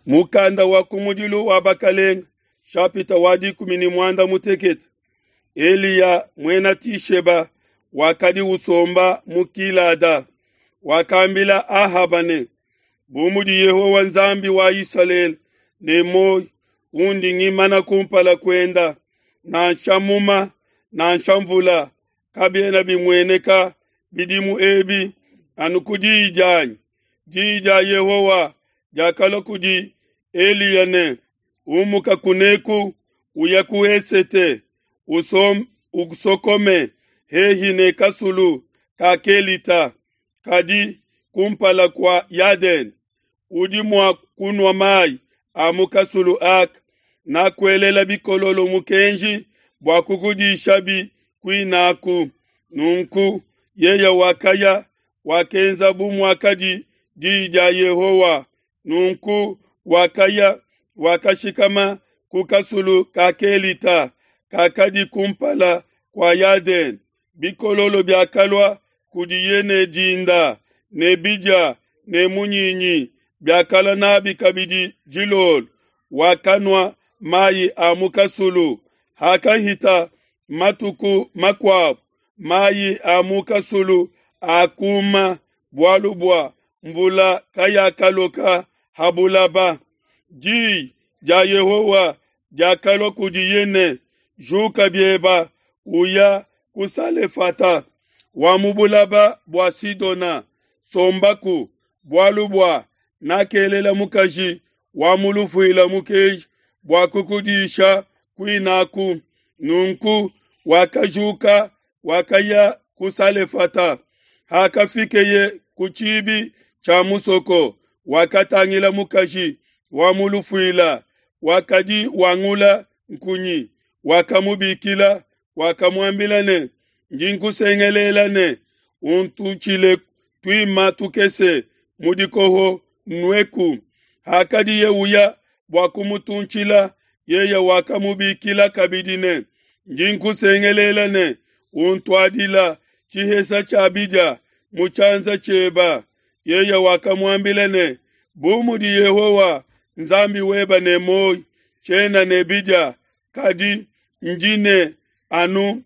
Mukanda wa kumudilu wa Bakalenga, shapita wa 16. Eliya muena Tisheba wakadi usomba mu Gilada, wakambila Ahaba ne, Bu mudi Yehowa Nzambi wa Isalele ne muoyo undi ngimana kumpala kuenda, nansha muma nansha mvula kabiena bimueneka bidimu ebi anu ku diyi dianyi. Diyi dia Yehowa diakalua kudi Eliya ne, Umuka kuneku, uya ku esete, usokome hehi ne kasulu ka Kelita, kadi kumpala kua Yadene. Udi mua kunua mayi a mu kasulu aka, nakuelela bikololo mukenji bua kukudishabi kuinaku. Nunku yeye wakaya, wakenza bu muakadi diyi dia Yehowa. Nunku wakaya, wakashikama ku kasulu ka Kelita, kakadi kumpala kua Yadene. Bikololo biakalua kudiye ne dinda, ne bidia ne munyinyi, biakalua nabi kabidi dilolo. Wakanua mayi a mu kasulu. Hakahita matuku makuabo, mayi a mu kasulu akuma, bualu bua mvula kayakaloka ha bulaba. Diyi dia Yehowa diakalua kudiye ne, Juka bieba, uya ku Salefata wa mu bulaba bua Sidona, sombaku, bualu bua nakelela mukaji wa mu lufuila mukenji bua kukudisha kuinaku. Nunku wakajuka, wakaya ku Salefata. Hakafikeye ku tshibi tshia musoko, wakatangila mukaji wa mu lufuila wakadi wangula nkunyi, wakamubikila, wakamuambila ne, Ndi nkusengelela ne, untutshile tuima tukese mu dikoho nnueku. Hakadiye uya bua kumutuntshila, yeye wakamubikila kabidi ne, Ndi nkusengelela ne, untuadila tshihesa tshia bidia mu tshianza tshieba. Yeye wakamuambila ne, Bu mudi Yehowa Nzambi weba ne muoyo, tshiena ne bidia, kadi ndi ne anu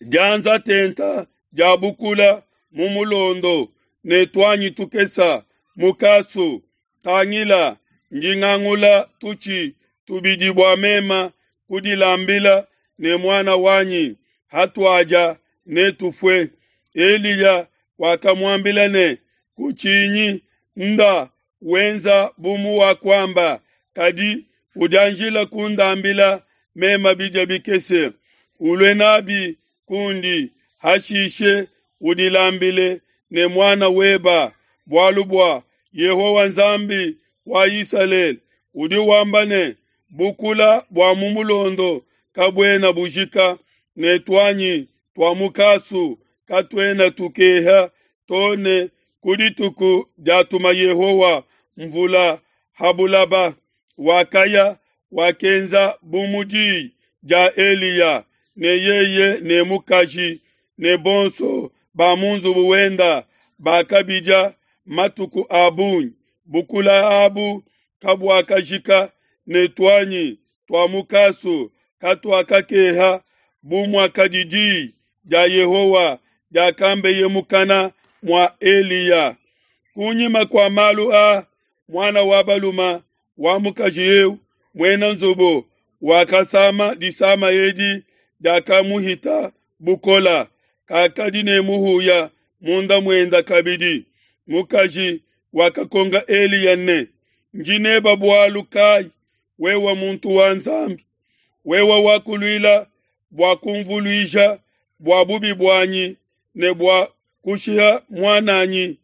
dianza tenta dia bukula mu mulondo ne tuanyi tukesa mu kasu. Tangila, ndi ngangula tutshi tubidi bua mema kudilambila ne muana wanyi, hatuadia netufue. Eliya wakamuambila ne, Kutshinyi, nda wenza bu muwakuamba, kadi udianjila kundambila mema bidia bikese, ulue nabi kundi, hashishe udilambile ne muana weba, bualu bua Yehowa Nzambi wa Isalele udi wamba ne, Bukula bua mu mulondo kabuena bujika, ne tuanyi tua mu kasu katuena tukeha, to ne ku dituku diatuma Yehowa mvula ha bulaba. Wakaya, wakenza bu mu diyi dia Eliya, ne yeye ne mukaji ne bonso ba mu nzubu wenda bakabidia matuku a bungi. Bukula abu kabuakajika, ne tuanyi tua mu kasu katuakakeha, bu muakadi diyi dia Yehowa diakambeye mukana mua Eliya. Kunyima kua malu a, muana wa baluma wa mukaji eu muena nzubu wakasama disama edi diakamuhita bukola, kakadi ne muhuya munda muenda kabidi. Mukaji wakakonka Eliya ne, Ndi neba bualu kayi, wewe muntu wa Nzambi? Wewe wakuluila bua kumvuluija bua bubi buanyi ne bua kushiha muan'anyi.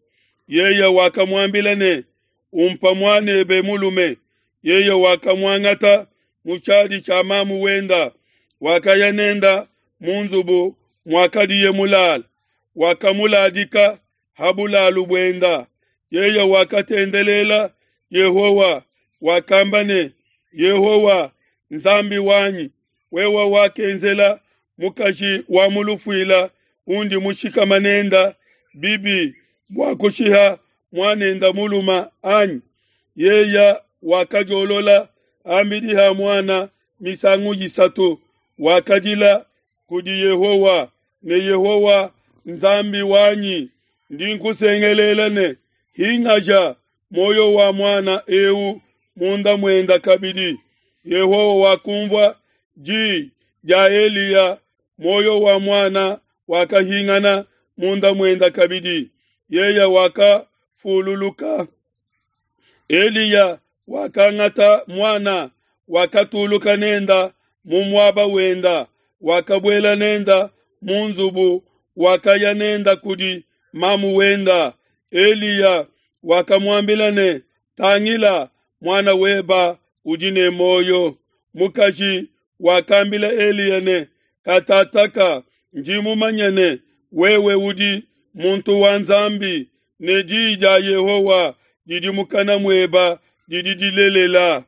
Yeye wakamuambila ne, Umpa muanebe mulume. Yeye wakamuangata mu tshiadi tshia mamu wenda, wakaya nenda mu nzubu muakadiye mulala, wakamuladika ha bulalu buenda. Yeye wakatendelela Yehowa, wakamba ne, Yehowa, Nzambi wanyi, wewe wakenzela mukaji wa mu lufuila undi mushikama nenda bibi bua kushiha muanenda muluma anyi? Yeye wakadiolola ham'bidi ha muana misangu isatu, wakadila kudi Yehowa ne, Yehowa Nzambi wanyi, ndi nkusengelela ne, Hingaja muoyo wa muana eu munda muenda kabidi. Yehowa wakunvua di dia Eliya, muoyo wa muana wakahingana munda muenda kabidi, yeye wakafululuka. Eliya wakangata muana, wakatuluka nenda mu muaba wenda, wakabuela nenda mu nzubu, wakaya nenda kudi mamu wenda. Eliya wakamuambila ne, Tangila, muana weba udi ne muoyo. Mukaji wakambila Eliya ne, Katataka ndi mumanye ne, wewe udi muntu wa Nzambi, ne diyi dia Yehowa didi mukana mueba didi dilelela.